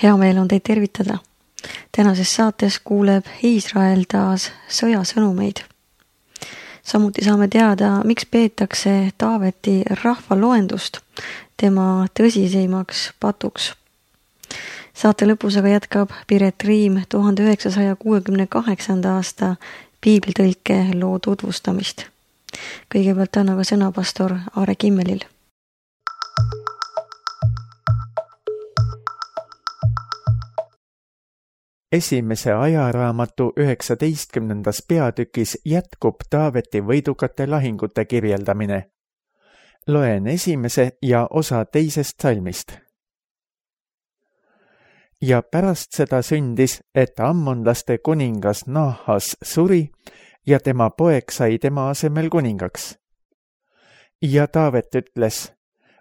Hea meel on teid tervitada. Tänases saates kuuleb Iisrael taas sõjasõnumeid. Samuti saame teada, miks peetakse Taaveti rahvaloendust tema tõsiseimaks patuks. Saate lõpus aga jätkab Piret Riim 1968. aasta piiblitõlke loo tutvustamist. Kõigepealt on aga sõna pastor Aare Kimmelil. Esimese ajaraamatu 19. peatükis jätkub Taaveti võidukate lahingute kirjeldamine. Loen esimese ja osa teisest salmist. Ja pärast seda sündis, et ammonlaste kuningas Naahas suri ja tema poeg sai tema asemel kuningaks. Ja Taavet ütles,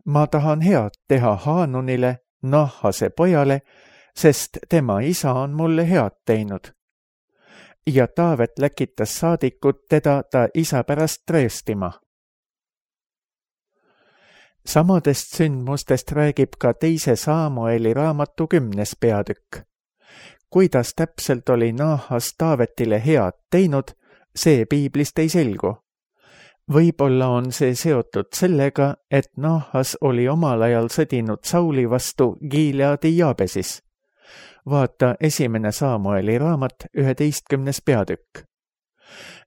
ma tahan head teha Haanunile, Naahase pojale, sest tema isa on mulle head teinud. Ja Taavet läkitas saadikut teda ta isa pärast trööstima. Samadest sündmustest räägib ka teise Saamueli raamatu 10. peatükk. Kuidas täpselt oli Naahas Taavetile head teinud, see piiblist ei selgu. Võib-olla on see seotud sellega, et Naahas oli omal ajal sõdinud Sauli vastu Gileadi Jaabesis. Vaata 1. Saamueli raamat 11. peatükk.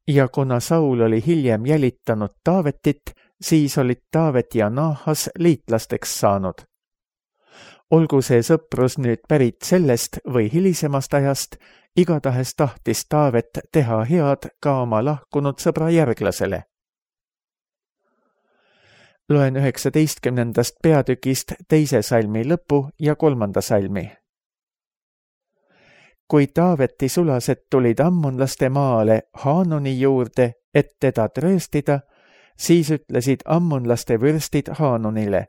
Ja kuna Saul oli hiljem jälitanud Taavetit, siis olid Taavet ja Naahas liitlasteks saanud. Olgu see sõprus nüüd pärit sellest või hilisemast ajast, igatahes tahtis Taavet teha head ka oma lahkunud sõbra järglasele. Loen 19. peatükist 2. salmi lõpu ja 3. salmi. Kui Taaveti sulased tulid ammonlaste maale Haanuni juurde, et teda trööstida, siis ütlesid ammonlaste vürstid Haanunile,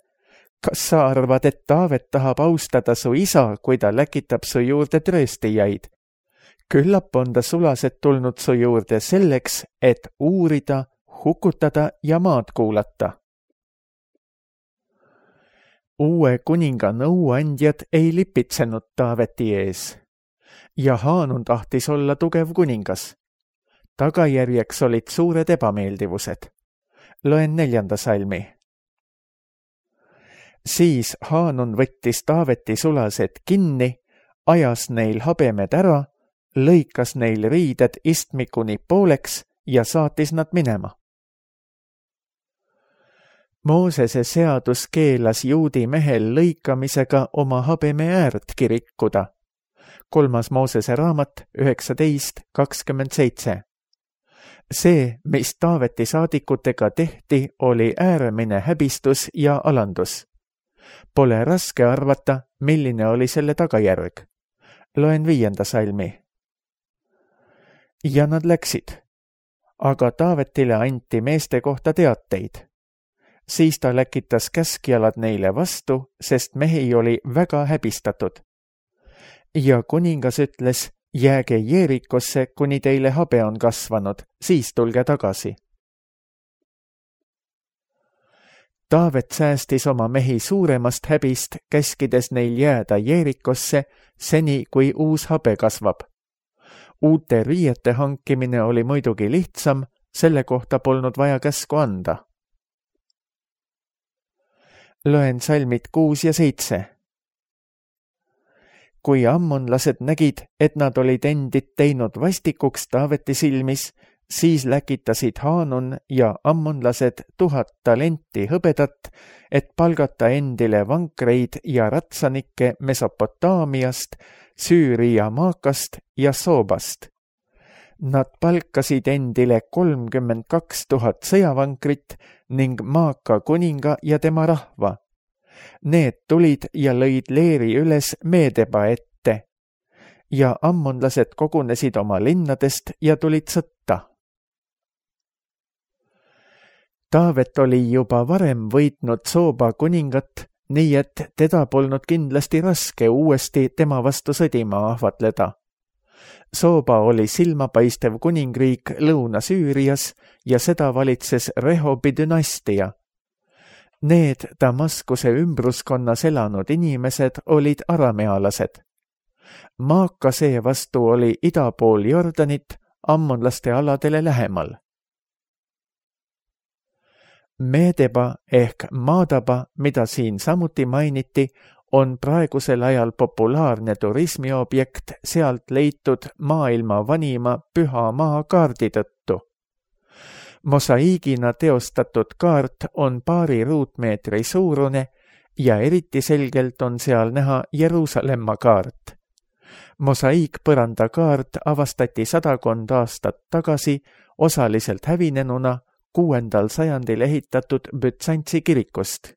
kas sa arvad, et Taavet tahab austada su isa, kui ta läkitab su juurde trööstijaid? Küllap on ta sulased tulnud su juurde selleks, et uurida, hukutada ja maad kuulata. Uue kuninga nõuandjad ei lipitsenud Taaveti ees. Ja Haanun tahtis olla tugev kuningas. Tagajärjeks olid suured ebameeldivused. Loen 4. salmi. Siis Haanun võttis Taaveti sulased kinni, ajas neil habemed ära, lõikas neil riided istmikuni pooleks ja saatis nad minema. Moosese seadus keelas juudi mehel lõikamisega oma habeme äärtki rikkuda. 3. Moosese raamat 19:27. See, mis Taaveti saadikutega tehti, oli äärmine häbistus ja alandus. Pole raske arvata, milline oli selle tagajärg. Loen 5. salmi. Ja nad läksid. Aga Taavetile anti meeste kohta teateid. Siis ta läkitas käskjalad neile vastu, sest mehi oli väga häbistatud. Ja kuningas ütles, jääge Jeerikosse, kuni teile habe on kasvanud, siis tulge tagasi. Taavet säästis oma mehi suuremast häbist, käskides neil jääda Jeerikosse, seni kui uus habe kasvab. Uute riiete hankimine oli muidugi lihtsam, selle kohta polnud vaja käsku anda. Loen salmid 6 ja 7. Kui ammonlased nägid, et nad olid endid teinud vastikuks Taaveti silmis, siis läkitasid Haanun ja ammonlased 1000 talenti hõbedat, et palgata endile vankreid ja ratsanikke Mesopotaamiast, Süüria Maakast ja Soobast. Nad palkasid endile 32 000 sõjavankrit ning Maaka kuninga ja tema rahva. Need tulid ja lõid leeri üles Meedeba ette. Ja ammonlased kogunesid oma linnadest ja tulid sõtta. Taavet oli juba varem võitnud Sooba kuningat, nii et teda polnud kindlasti raske uuesti tema vastu sõdima ahvatleda. Sooba oli silmapaistev kuningriik Lõuna-Süürias ja seda valitses Rehobi dünastia. Need Damaskuse ümbruskonnas elanud inimesed olid aramealased. Maaka seevastu oli ida pool Jordanit ammonlaste aladele lähemal. Medeba ehk Madaba, mida siin samuti mainiti, on praegusel ajal populaarne turismiobjekt sealt leitud maailma vanima püha maa kaardi tõttu. Mosaiigina teostatud kaart on paari ruutmeetri suurune ja eriti selgelt on seal näha Jeruusalemma kaart. Mosaiikpõranda kaart avastati 100 aastat tagasi osaliselt hävinenuna 6. sajandil ehitatud Bütsantsi kirikust.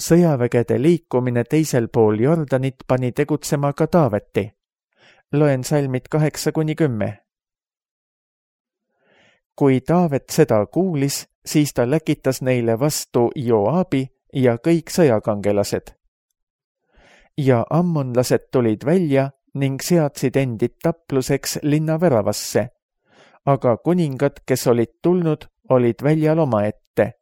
Sõjavägede liikumine teisel pool Jordanit pani tegutsema ka Taaveti. Loen salmid 8-10. Kui Taavet seda kuulis, siis ta läkitas neile vastu Joabi ja kõik sõjakangelased. Ja ammonlased tulid välja ning seadsid endid tapluseks linna väravasse, aga kuningad, kes olid tulnud, olid väljal omaette.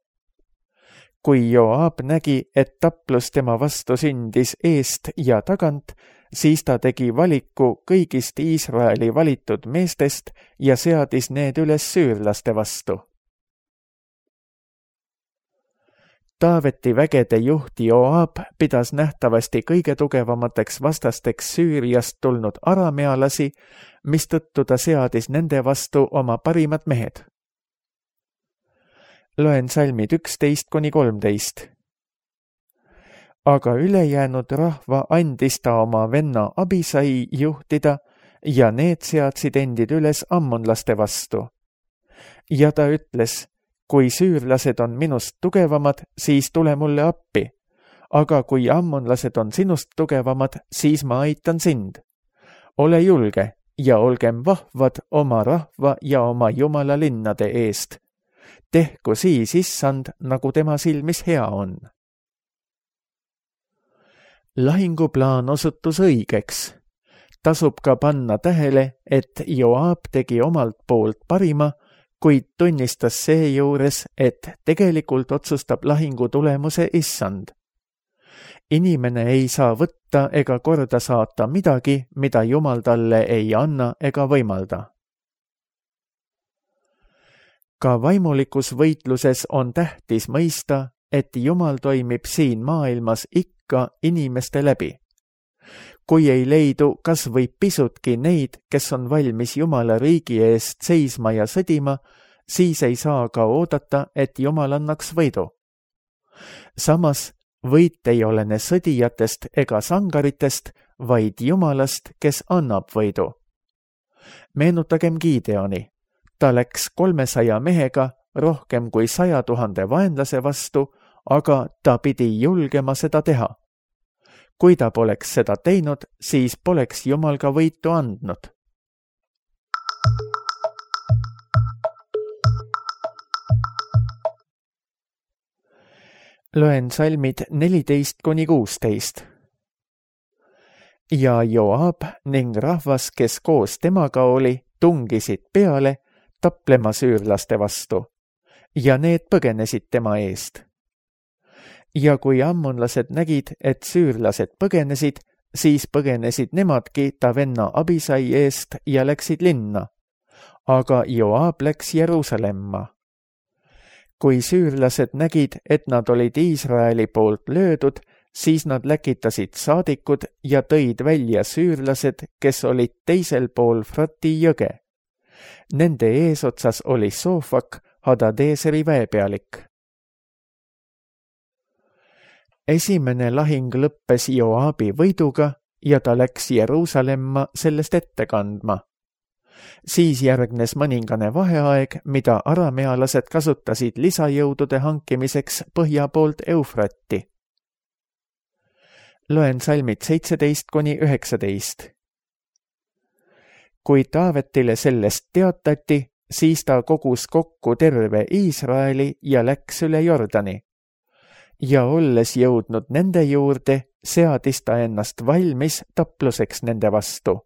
Kui Joab nägi, et taplus tema vastu sündis eest ja tagant, siis ta tegi valiku kõigist Iisraeli valitud meestest ja seadis need üles süürlaste vastu. Taaveti vägede juht Joab pidas nähtavasti kõige tugevamateks vastasteks Süüriast tulnud aramealasi, mistõttu ta seadis nende vastu oma parimad mehed. Loen salmid 11-13. Aga ülejäänud rahva andis ta oma venna Abisai juhtida ja need seadsid endid üles ammonlaste vastu. Ja ta ütles, kui süürlased on minust tugevamad, siis tule mulle appi, aga kui ammonlased on sinust tugevamad, siis ma aitan sind. Ole julge ja olgem vahvad oma rahva ja oma Jumala linnade eest. Tehku siis issand, nagu tema silmis hea on. Lahinguplaan osutus õigeks. Tasub ka panna tähele, et Joab tegi omalt poolt parima, kuid tunnistas seejuures, et tegelikult otsustab lahingu tulemuse issand. Inimene ei saa võtta ega korda saata midagi, mida Jumal talle ei anna ega võimalda. Ka vaimulikus võitluses on tähtis mõista, et Jumal toimib siin maailmas ikka inimeste läbi. Kui ei leidu kas või pisutki neid, kes on valmis Jumala riigi eest seisma ja sõdima, siis ei saa ka oodata, et Jumal annaks võidu. Samas, võit ei olene sõdijatest ega sangaritest, vaid Jumalast, kes annab võidu. Meenutagem Gideoni. Ta läks 300 mehega rohkem kui 100 000 vaenlase vastu, aga ta pidi julgema seda teha. Kui ta poleks seda teinud, siis poleks Jumal ka võitu andnud. Loen salmid 14-16. Ja Joab ning rahvas, kes koos temaga oli, tungisid peale, taplema süürlaste vastu, ja need põgenesid tema eest. Ja kui ammonlased nägid, et süürlased põgenesid, siis põgenesid nemadki ta venna Abisai eest ja läksid linna. Aga Joab läks Jeruusalemma. Kui süürlased nägid, et nad olid Iisraeli poolt löödud, siis nad läkitasid saadikud ja tõid välja süürlased, kes olid teisel pool Frati jõge. Nende eesotsas oli Sofak, Hadadeeseri väepealik. Esimene lahing lõppes Joabi võiduga ja ta läks Jeruusalemma sellest ette kandma. Siis järgnes mõningane vaheaeg, mida aramealased kasutasid lisajõudude hankimiseks põhja poolt Eufratti. Loen salmid 17-19. Kui Taavetile sellest teatati, siis ta kogus kokku terve Iisraeli ja läks üle Jordani. Ja olles jõudnud nende juurde, seadis ta ennast valmis tapluseks nende vastu.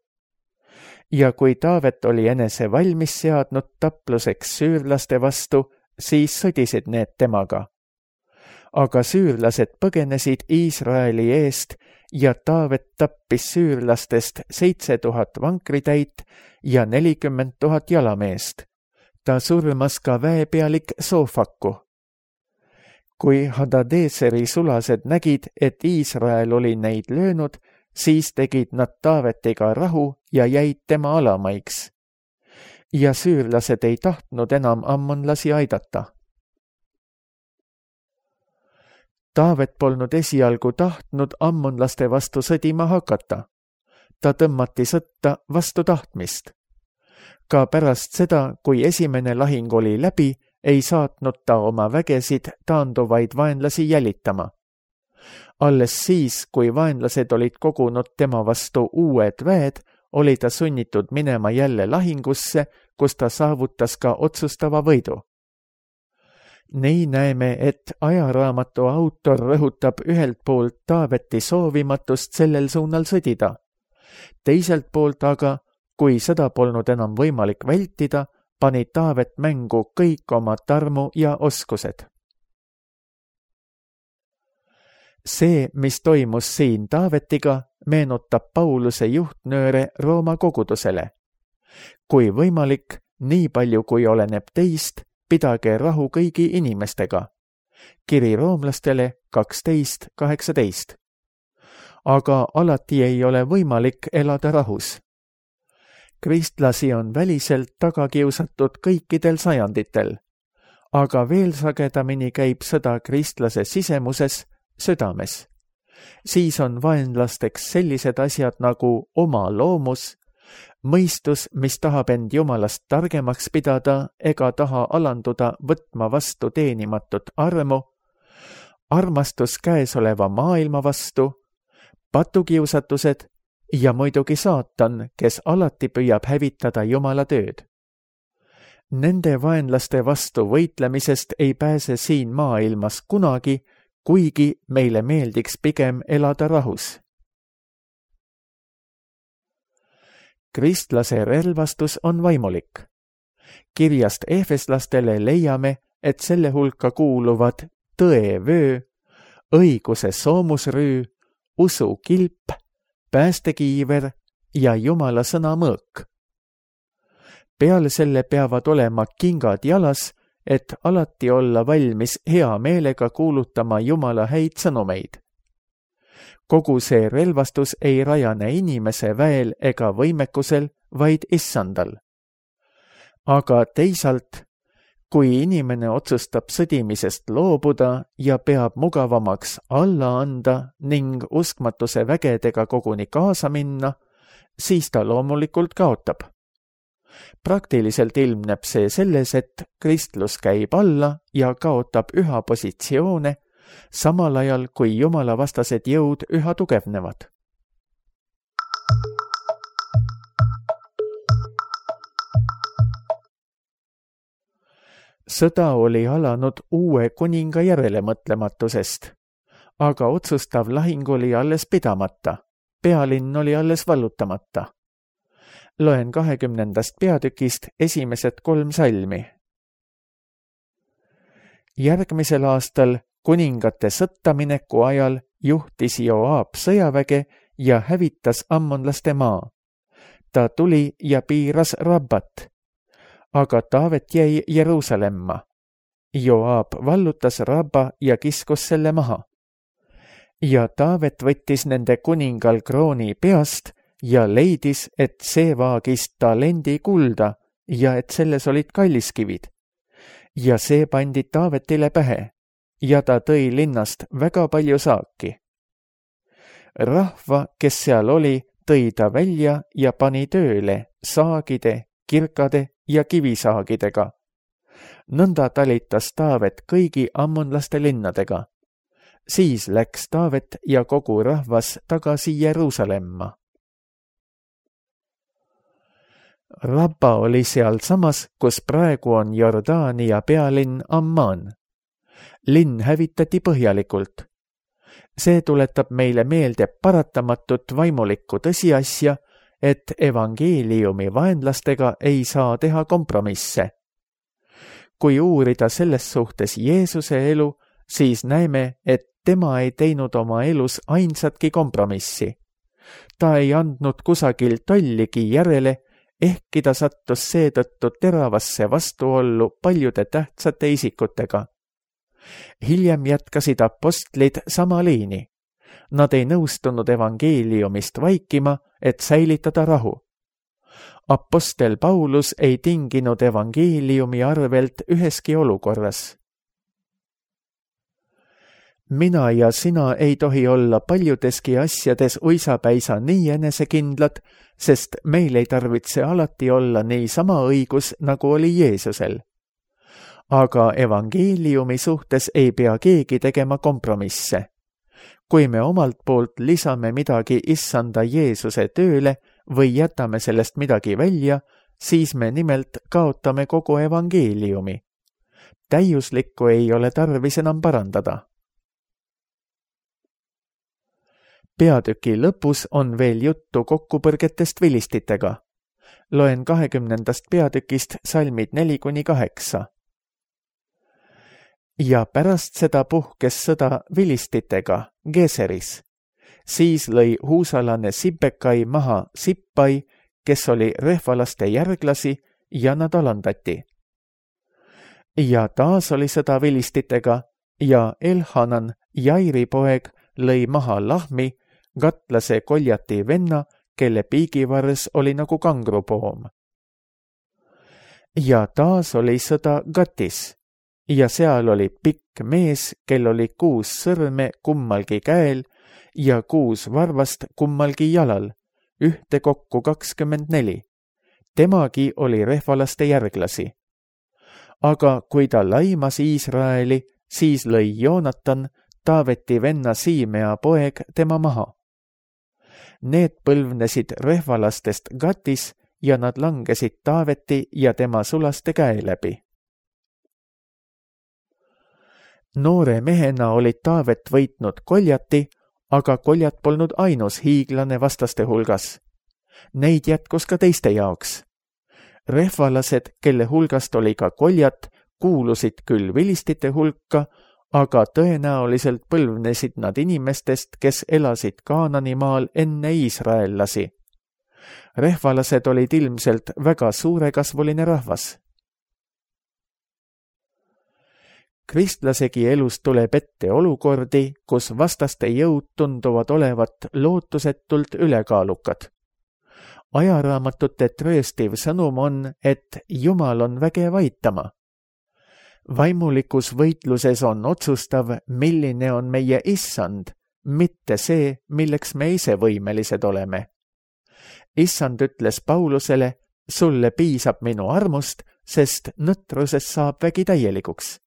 Ja kui Taavet oli enese valmis seadnud tapluseks süürlaste vastu, siis sõdisid need temaga. aga süürlased põgenesid Iisraeli eest ja Taavet tappis süürlastest 7000 vankritäit ja 40 000 jalameest. Ta surmas ka väepealik Soofaku. Kui Hadadeseri sulased nägid, et Iisrael oli neid löönud, siis tegid nad Taavetiga rahu ja jäid tema alamaiks. Ja süürlased ei tahtnud enam ammonlasi aidata. Taavet polnud esialgu tahtnud ammonlaste vastu sõdima hakata. Ta tõmmati sõtta vastu tahtmist. Ka pärast seda, kui esimene lahing oli läbi, ei saatnud ta oma vägesid taanduvaid vaenlasi jälitama. Alles siis, kui vaenlased olid kogunud tema vastu uued väed, oli ta sunnitud minema jälle lahingusse, kus ta saavutas ka otsustava võidu. Nii näeme, et ajaraamatu autor rõhutab ühelt poolt Taaveti soovimatust sellel suunal sõdida. Teiselt poolt aga, kui sõda polnud enam võimalik vältida, pani Taavet mängu kõik oma tarmu ja oskused. See, mis toimus siin Taavetiga, meenutab Pauluse juhtnööre Rooma kogudusele. Kui võimalik, nii palju kui oleneb teist, pidage rahu kõigi inimestega. Kiri roomlastele 12:18. Aga alati ei ole võimalik elada rahus. Kristlasi on väliselt taga kiusatud kõikidel sajanditel, aga veel sagedamini käib sõda kristlase sisemuses, südames. Siis on vaenlasteks sellised asjad nagu oma loomus, mõistus, mis tahab end Jumalast targemaks pidada ega taha alanduda võtma vastu teenimatut armu, armastus käesoleva maailma vastu, patukiusatused ja muidugi saatan, kes alati püüab hävitada Jumala tööd. Nende vaenlaste vastu võitlemisest ei pääse siin maailmas kunagi, kuigi meile meeldiks pigem elada rahus. Kristlase relvastus on vaimulik. Kirjast Efeslastele leiame, et selle hulka kuuluvad tõevöö, õiguse soomusrüü, usu kilp, päästekiiver ja Jumala sõna mõõk. Peale selle peavad olema kingad jalas, et alati olla valmis hea meelega kuulutama Jumala häid sõnumeid. Kogu see relvastus ei rajane inimese väel ega võimekusel, vaid issandal. Aga teisalt, kui inimene otsustab sõdimisest loobuda ja peab mugavamaks alla anda ning uskmatuse vägedega koguni kaasa minna, siis ta loomulikult kaotab. Praktiliselt ilmneb see selles, et kristlus käib alla ja kaotab üha positsioone, samal ajal kui Jumala vastased jõud üha tugevnevad. Sõda oli alanud uue kuninga järelemõtlematusest, aga otsustav lahing oli alles pidamata, pealinn oli alles vallutamata. Loen 20. peatükist esimesed 3 salmi. Järgmisel aastal kuningate sõttamineku ajal juhtis Joab sõjaväge ja hävitas ammonlaste maa. Ta tuli ja piiras Rabbat, aga Taavet jäi Jeruusalemma. Joab vallutas Rabba ja kiskus selle maha. Ja Taavet võttis nende kuningal krooni peast ja leidis, et see vaagis talendi kulda ja et selles olid kalliskivid. Ja see pandi Taavetile pähe ja ta tõi linnast väga palju saaki. Rahva, kes seal oli, tõi ta välja ja pani tööle saagide, kirkade ja kivisaagidega. Nõnda talitas Taavet kõigi ammonlaste linnadega. Siis läks Taavet ja kogu rahvas tagasi Jeruusalemma. Rabba oli seal samas, kus praegu on Jordaania pealinn Amman. Linn hävitati põhjalikult. See tuletab meile meelde paratamatut vaimulikku tõsiasja, et evangeeliumi vaenlastega ei saa teha kompromisse. Kui uurida selles suhtes Jeesuse elu, siis näeme, et tema ei teinud oma elus ainsatki kompromissi. Ta ei andnud kusagil tolligi järele, ehkki ta sattus seetõttu teravasse vastuollu paljude tähtsate isikutega. Hiljem jätkasid apostlid sama liini. Nad ei nõustunud evangeeliumist vaikima, et säilitada rahu. Apostel Paulus ei tinginud evangeeliumi arvelt üheski olukorras. Mina ja sina ei tohi olla paljudeski asjades uisapäisa nii enesekindlad, sest meil ei tarvitse alati olla nii sama õigus, nagu oli Jeesusel. Aga evangeeliumi suhtes ei pea keegi tegema kompromisse. Kui me omalt poolt lisame midagi issanda Jeesuse tööle või jätame sellest midagi välja, siis me nimelt kaotame kogu evangeeliumi. Täiuslikku ei ole tarvis enam parandada. Peatüki lõpus on veel juttu kokkupõrgetest vilistitega. Loen 20. peatükist salmid 4-8. Ja pärast seda puhkes sõda vilistitega Geseris. Siis lõi huusalane Sibbekai maha Sippai, kes oli rehvalaste järglasi, ja nad alandati. Ja taas oli sõda vilistitega ja Elhanan, Jairi poeg, lõi maha Lahmi, gatlase Koljati venna, kelle piigivars oli nagu kangrupoom. Ja taas oli sõda Gatis. Ja seal oli pikk mees, kel oli 6 sõrme kummalgi käel ja 6 varvast kummalgi jalal, ühtekokku 24. Temagi oli rehvalaste järglasi. Aga kui ta laimas Iisraeli, siis lõi Joonatan, Taaveti venna Siimea poeg, tema maha. Need põlvnesid rehvalastest Gatis ja nad langesid Taaveti ja tema sulaste käe läbi. Noore mehena oli Taavet võitnud Koljati, aga Koljat polnud ainus hiiglane vastaste hulgas. Neid jätkus ka teiste jaoks. Rehvalased, kelle hulgast oli ka Koljat, kuulusid küll vilistite hulka, aga tõenäoliselt põlvnesid nad inimestest, kes elasid Kaananimaal enne iisraellasi. Rehvalased olid ilmselt väga suurekasvuline rahvas. Kristlasegi elus tuleb ette olukordi, kus vastaste jõud tunduvad olevat lootusetult ülekaalukad. Ajaraamatute trööstiv sõnum on, et Jumal on vägev aitama. Vaimulikus võitluses on otsustav, milline on meie issand, mitte see, milleks me ise võimelised oleme. Issand ütles Paulusele, sulle piisab minu armust, sest nõtruses saab vägi täielikuks.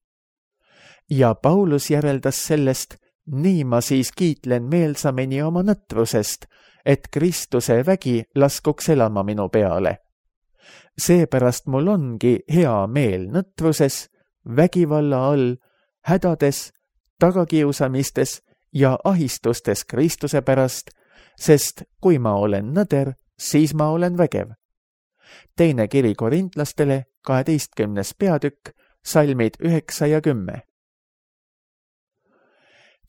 Ja Paulus järeldas sellest, nii ma siis kiitlen meelsamini oma nõtrusest, et Kristuse vägi laskuks elama minu peale. Seepärast mul ongi hea meel nõtruses, vägivalla all, hädades, tagakiusamistes ja ahistustes Kristuse pärast, sest kui ma olen nõder, siis ma olen vägev. Teine kiri korintlastele, 12. peatükk, salmid 9 ja 10.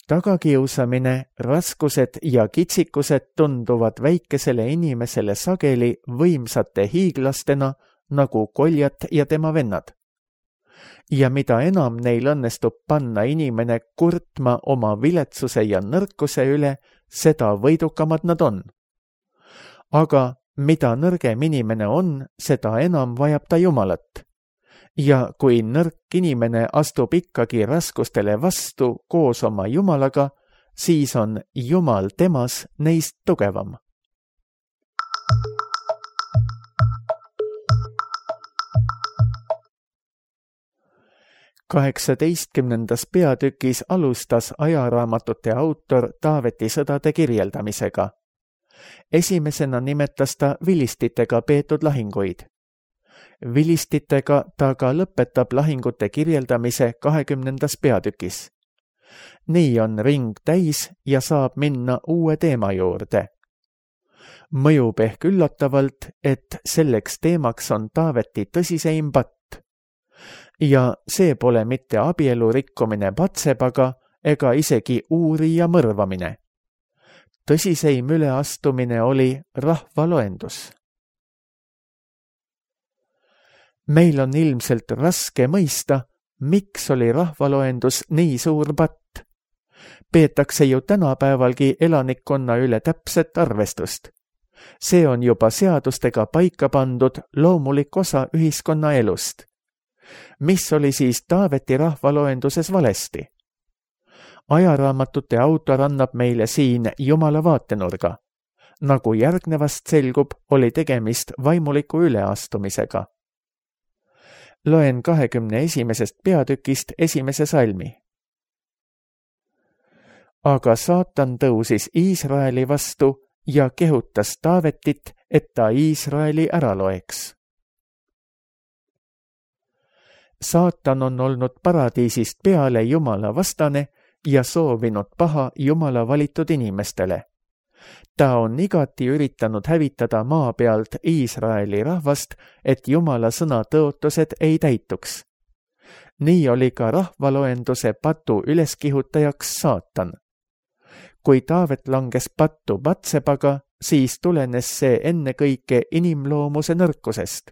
Tagakiusamine, raskused ja kitsikused tunduvad väikesele inimesele sageli võimsate hiiglastena nagu Koljat ja tema vennad. Ja mida enam neil õnnestub panna inimene kurtma oma viletsuse ja nõrkuse üle, seda võidukamad nad on. Aga mida nõrgem inimene on, seda enam vajab ta Jumalat. Ja kui nõrk inimene astub ikkagi raskustele vastu koos oma Jumalaga, siis on Jumal temas neist tugevam. Kaheksateistkümnendas peatükis alustas ajaraamatute autor Taaveti sõdade kirjeldamisega. Esimesena nimetas ta vilistitega peetud lahinguid. Vilistitega ta ka lõpetab lahingute kirjeldamise 20. peatükis. Nii on ring täis ja saab minna uue teema juurde. Mõjub ehk üllatavalt, et selleks teemaks on Taaveti tõsiseim patt. ja see pole mitte abielu rikkumine Batsebaga ega isegi uurija mõrvamine. Tõsiseim üleastumine oli rahvaloendus. Meil on ilmselt raske mõista, miks oli rahvaloendus nii suur patt. Peetakse ju tänapäevalgi elanikkonna üle täpset arvestust. See on juba seadustega paika pandud loomulik osa ühiskonna elust. Mis oli siis Taaveti rahvaloenduses valesti? Ajaraamatute autor annab meile siin Jumala vaatenurga. Nagu järgnevast selgub, oli tegemist vaimuliku üleastumisega. Loen 21. peatükist 1. salmi. Aga saatan tõusis Iisraeli vastu ja kehutas Taavetit, et ta Iisraeli ära loeks. Saatan on olnud paradiisist peale Jumala vastane ja soovinud paha Jumala valitud inimestele. Ta on igati üritanud hävitada maa pealt Iisraeli rahvast, et Jumala sõna tõotused ei täituks. Nii oli ka rahvaloenduse patu üleskihutajaks saatan. Kui Taavet langes pattu Batsebaga, siis tulenes see ennekõike inimloomuse nõrkusest.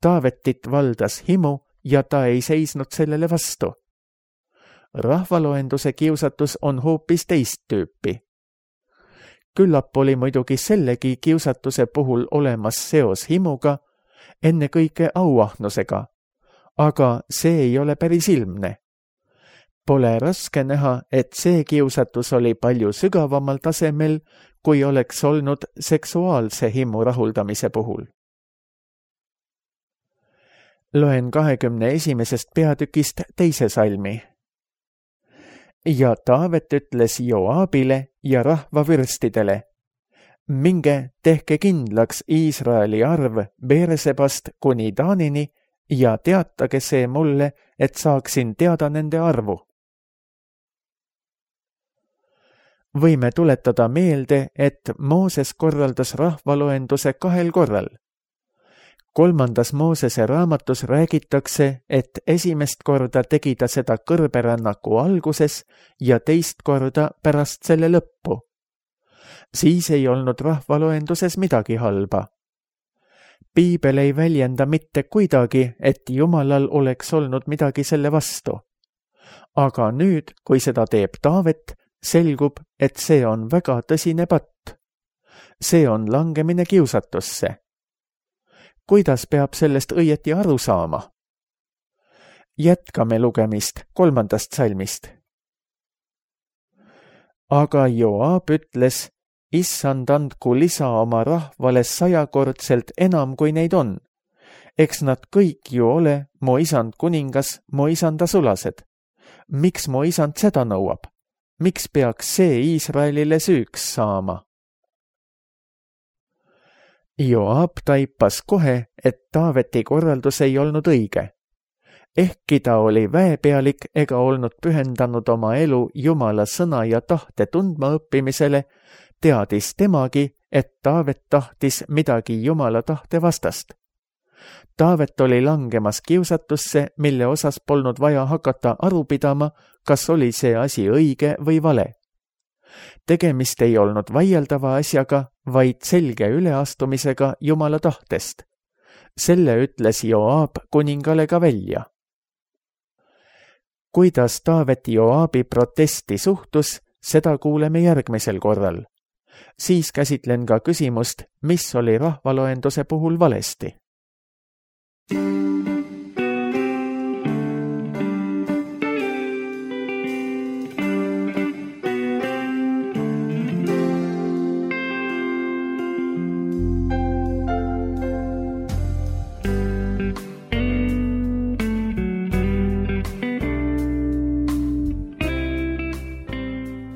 Taavetit valdas himu ja ta ei seisnud sellele vastu. Rahvaloenduse kiusatus on hoopis teist tüüpi. Küllap oli muidugi sellegi kiusatuse puhul olemas seos himuga, ennekõike auahnusega, aga see ei ole päris ilmne. Pole raske näha, et see kiusatus oli palju sügavamal tasemel, kui oleks olnud seksuaalse himu rahuldamise puhul. Loen 21. peatükist 2. salmi. Ja Taavet ütles Joabile ja rahvavürstidele, minge tehke kindlaks Iisraeli arv Beersebast kuni Daanini ja teatage see mulle, et saaksin teada nende arvu. Võime tuletada meelde, et Mooses korraldas rahvaloenduse 2 korral. 3. Moosese raamatus räägitakse, et esimest korda tegi ta seda kõrberännaku alguses ja teist korda pärast selle lõppu. Siis ei olnud rahvaloenduses midagi halba. Piibel ei väljenda mitte kuidagi, et Jumalal oleks olnud midagi selle vastu. Aga nüüd, kui seda teeb Taavet, selgub, et see on väga tõsine patt. See on langemine kiusatusse. Kuidas peab sellest õieti aru saama? Jätkame lugemist 3. salmist. Aga Joab ütles, issand andku lisa oma rahvale 100-kordselt enam, kui neid on. Eks nad kõik ju ole mu isand kuningas, mu isanda sulased. Miks mu isand seda nõuab? Miks peaks see Iisraelile süüks saama? Joab taipas kohe, et Taaveti korraldus ei olnud õige. Ehkki ta oli väepealik ega olnud pühendanud oma elu Jumala sõna ja tahte tundma õppimisele, teadis temagi, et Taavet tahtis midagi Jumala tahte vastast. Taavet oli langemas kiusatusse, mille osas polnud vaja hakata aru pidama, kas oli see asi õige või vale. Tegemist ei olnud vaieldava asjaga, vaid selge üleastumisega Jumala tahtest. Selle ütles Joab kuningale ka välja. Kuidas Taavet Joabi protesti suhtus, seda kuuleme järgmisel korral. Siis käsitlen ka küsimust, mis oli rahvaloenduse puhul valesti.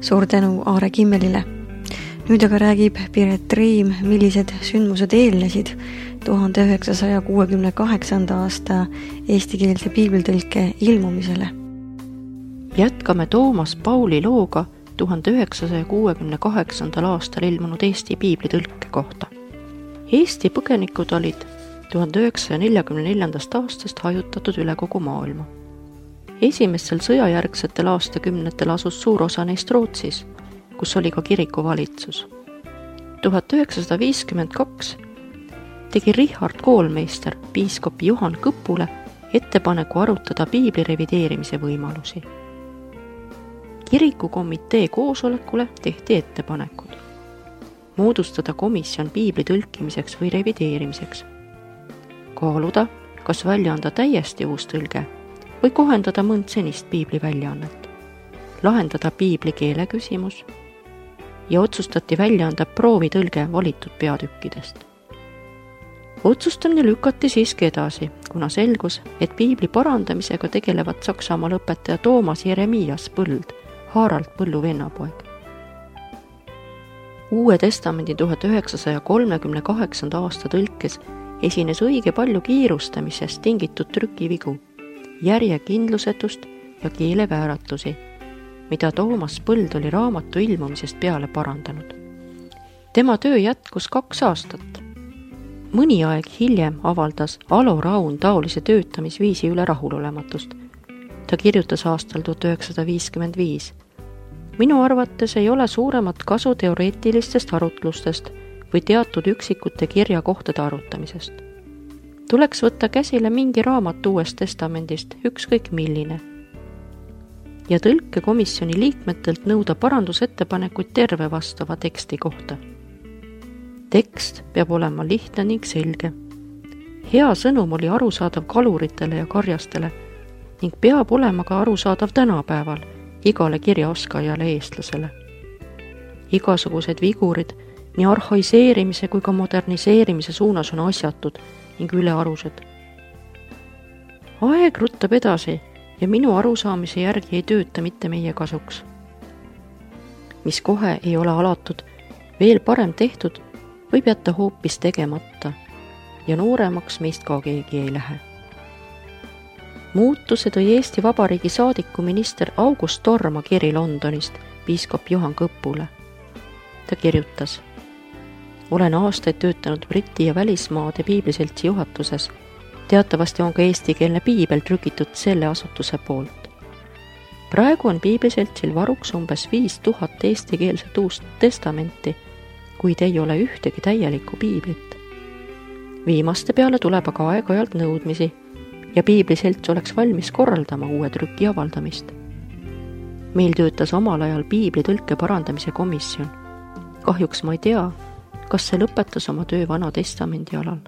Suur tänu Aare Kimmelile. Nüüd aga räägib Piret Reim, millised sündmused eelnesid 1968. aasta eestikeelse piiblitõlke ilmumisele. Jätkame Toomas Pauli looga 1968. aastal ilmunud Eesti piiblitõlke kohta. Eesti põgenikud olid 1944. aastast hajutatud üle kogu maailma. Esimestel sõjajärgsetel aastakümnetel asus suur osa neist Rootsis, kus oli ka kirikuvalitsus. 1952 tegi Richard Koolmeister piiskop Johan Kõpule ettepaneku arutada piibli revideerimise võimalusi. Kirikukomitee koosolekule tehti ettepanekud moodustada komisjon piibli tõlkimiseks või revideerimiseks, kaaluda, kas välja anda täiesti uus tõlge või kohendada mõnd senist piibli väljaannet, lahendada piibli keele küsimus ja otsustati välja anda proovitõlge valitud peatükkidest. Otsustamine lükati siiski edasi, kuna selgus, et piibli parandamisega tegelevad Saksamaa õpetaja Toomas Jeremias Põld, Harald Põllu vennapoeg. Uue testamendi 1938. aasta tõlkes esines õige palju kiirustamisest tingitud trükivigu, järjekindlusetust ja keelevääratusi, mida Toomas Põld oli raamatu ilmumisest peale parandanud. Tema töö jätkus 2 aastat. Mõni aeg hiljem avaldas Alo Raun taolise töötamisviisi üle rahulolematust. Ta kirjutas aastal 1955. Minu arvates ei ole suuremat kasu teoreetilistest arutlustest või teatud üksikute kirjakohtade arutamisest. Tuleks võtta käsile mingi raamat Uuest testamendist, ükskõik milline, ja tõlkekomisjoni liikmetelt nõuda parandusettepanekuid terve vastava teksti kohta. Tekst peab olema lihtne ning selge. Hea sõnum oli arusaadav kaluritele ja karjastele ning peab olema ka arusaadav tänapäeval igale kirjaoskajale eestlasele. Igasugused vigurid nii arhaiseerimise kui ka moderniseerimise suunas on asjatud ning ülearused. Aeg ruttab edasi ja minu arusaamise järgi ei tööta mitte meie kasuks. Mis kohe ei ole alatud, veel parem tehtud, võib jätta hoopis tegemata ja nooremaks meist ka keegi ei lähe. Muutuse tõi Eesti Vabariigi saadiku minister August Torma kiri Londonist piiskop Johan Kõpule. Ta kirjutas: olen aastaid töötanud Briti ja välismaade piibliseltsi juhatuses. Teatavasti on ka eestikeelne piibel trükitud selle asutuse poolt. Praegu on piibliseltsil varuks umbes 5000 eestikeelset uust testamenti, kuid ei ole ühtegi täielikku piiblit. Viimaste peale tuleb aga aeg-ajalt nõudmisi ja piibliselts oleks valmis korraldama uue trüki avaldamist. Meil töötas omal ajal piibli tõlke parandamise komisjon. Kahjuks ma ei tea, kas see lõpetas oma töö Vana Testamendi alal.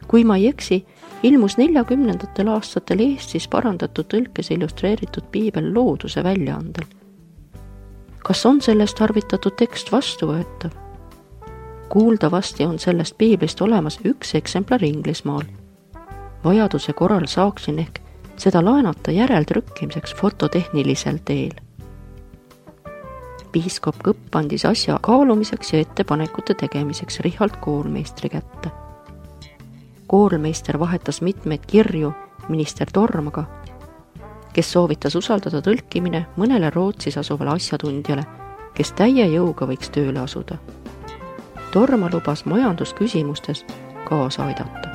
Kui ma ei eksi, ilmus 40. aastatel Eestis parandatud tõlkes illustreeritud piibel Looduse väljaandel. Kas on sellest tarvitatud tekst vastuvõetav? Kuuldavasti on sellest piiblist olemas üks eksemplar Inglismaal. Vajaduse korral saaksin ehk seda laenata järeltrükkimiseks fototehnilisel teel. Piiskop Kõpp andis asja kaalumiseks ja ettepanekute tegemiseks Richard Koolmeistri kätte. Koolmeister vahetas mitmeid kirju minister Tormaga, kes soovitas usaldada tõlkimine mõnele Rootsis asuvale asjatundjale, kes täie jõuga võiks tööle asuda. Torma lubas majandusküsimustes kaasa aidata.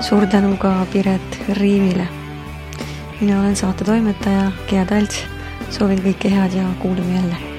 Suur tänu ka Piret Riivile. Mina olen saate toimetaja Gea Talts. Soovin kõike head ja kuuleme jälle.